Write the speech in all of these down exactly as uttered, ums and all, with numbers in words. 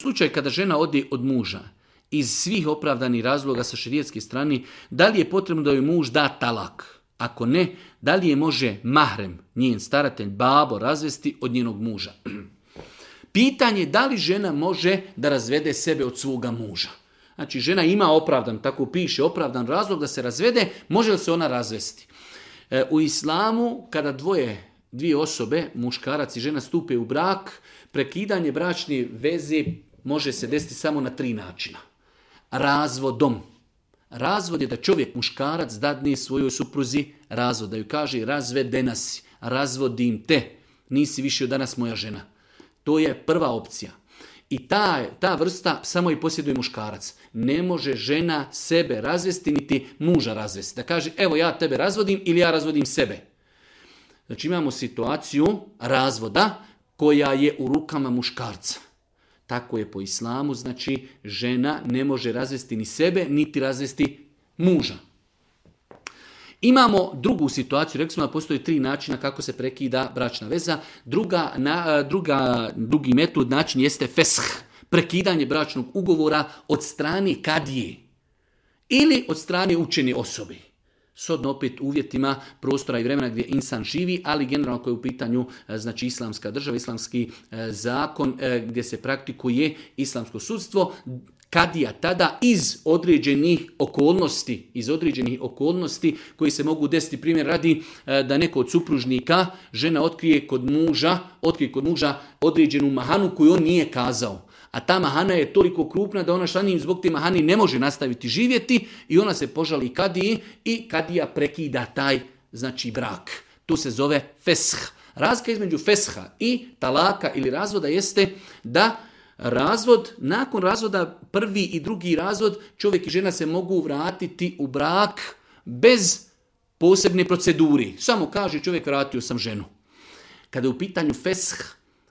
slučaju kada žena ode od muža, iz svih opravdanih razloga sa šerijetske strane, da li je potrebno da joj muž da talak? Ako ne, da li je može mahrem, njen staratelj, babo, razvesti od njenog muža? Pitanje je da li žena može da razvede sebe od svoga muža. Znači, žena ima opravdan, tako piše, opravdan razlog da se razvede, može li se ona razvesti? E, u islamu, kada dvoje, dvije osobe, muškarac i žena stupe u brak, prekidanje bračne veze može se desiti samo na tri načina. Razvodom. Razvod je da čovjek, muškarac, dadne svojoj supruzi razvod, da ju kaže razvedena si, razvodim te, nisi više od danas moja žena. To je prva opcija. I ta, ta vrsta samo i posjeduje muškarac. Ne može žena sebe razvesti, niti muža razvesti. Da kaže, evo ja tebe razvodim ili ja razvodim sebe. Znači imamo situaciju razvoda koja je u rukama muškarca. Tako je po islamu, znači žena ne može razvesti ni sebe, niti razvesti muža. Imamo drugu situaciju, rekli smo da postoji tri načina kako se prekida bračna veza. Druga, na, druga, drugi metod, način jeste fesh, prekidanje bračnog ugovora od strane kadije ili od strane učene osobe. Shodno opet uvjetima prostora i vremena gdje insan živi, ali generalno koji je u pitanju znači islamska država, islamski zakon gdje se praktikuje islamsko sudstvo, kadija tada iz određenih okolnosti, iz određenih okolnosti koji se mogu desiti, primjer radi da neko od supružnika žena otkrije kod muža, otkrije kod muža određenu mahanu koju on nije kazao. A ta mahana je toliko krupna da ona sa njim zbog te mahani ne može nastaviti živjeti i ona se požali kadiji i kadija prekida taj znači brak. To se zove fesh. Razlika između fesha i talaka ili razvoda jeste da razvod, nakon razvoda prvi i drugi razvod čovjek i žena se mogu vratiti u brak bez posebne proceduri. Samo kaže čovjek vratio sam ženu. Kada je u pitanju fesh,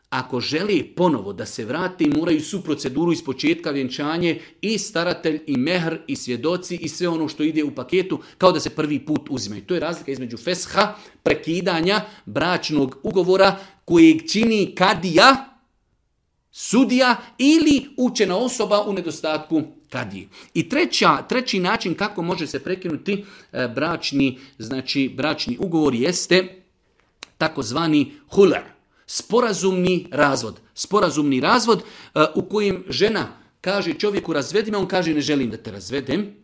ako želi ponovo da se vrati, moraju su proceduru iz početka vjenčanje i staratelj i mehr i svjedoci i sve ono što ide u paketu kao da se prvi put uzimaju. To je razlika između fesha, prekidanja bračnog ugovora kojeg čini kadija, sudija ili učena osoba u nedostatku kadije. I treća, treći način kako može se prekinuti bračni, znači bračni ugovor jeste takozvani hular. Sporazumni razvod. Sporazumni razvod uh, u kojem žena kaže čovjeku razvedi me, on kaže ne želim da te razvedem,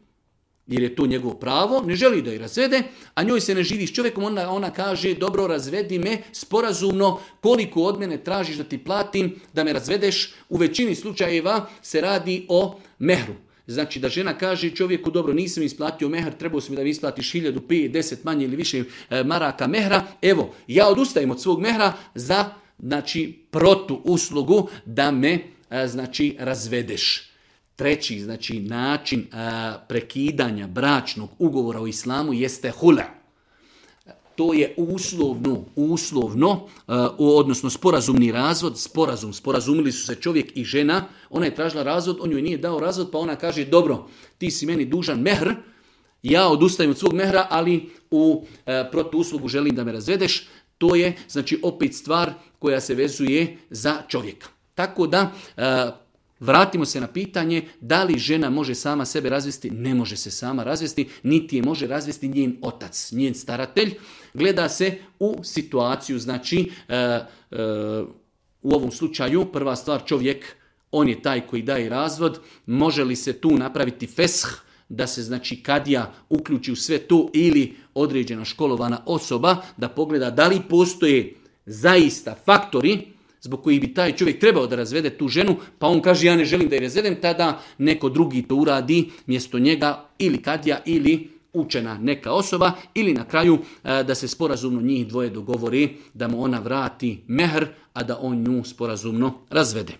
jer je to njegovo pravo, ne želi da je razvede, a njoj se ne živi s čovjekom, onda ona kaže dobro razvedi me sporazumno, koliko od mene tražiš da ti platim da me razvedeš. U većini slučajeva se radi o mehru. Znači da žena kaže čovjeku dobro nisam isplatio mehr, trebao si mi da mi isplatiš hiljadu, pet, deset manje ili više e, maraka mehra. Evo, ja odustajem od svog mehra za znači protu uslugu da me e, znači razvedeš. Treći znači način e, prekidanja bračnog ugovora u islamu jeste hula. To je uslovno, uslovno, uh, odnosno sporazumni razvod, sporazum, sporazumili su se čovjek i žena, ona je tražila razvod, on joj nije dao razvod, pa ona kaže, dobro, ti si meni dužan mehr, ja odustajem od svog mehra, ali u uh, protuuslugu želim da me razvedeš. To je, znači, opet stvar koja se vezuje za čovjeka. Tako da, uh, vratimo se na pitanje da li žena može sama sebe razvesti. Ne može se sama razvesti, niti je može razvesti njen otac, njen staratelj. Gleda se u situaciju, znači e, e, u ovom slučaju prva stvar čovjek, on je taj koji daje razvod, može li se tu napraviti fesh, da se znači kadija uključi u sve to ili određena školovana osoba da pogleda da li postoje zaista faktori zbog kojih bi taj čovjek trebao da razvede tu ženu, pa on kaže ja ne želim da je razvedem, tada neko drugi to uradi mjesto njega ili kadija ili učena neka osoba ili na kraju da se sporazumno njih dvoje dogovori da mu ona vrati mehr, a da on nju sporazumno razvede.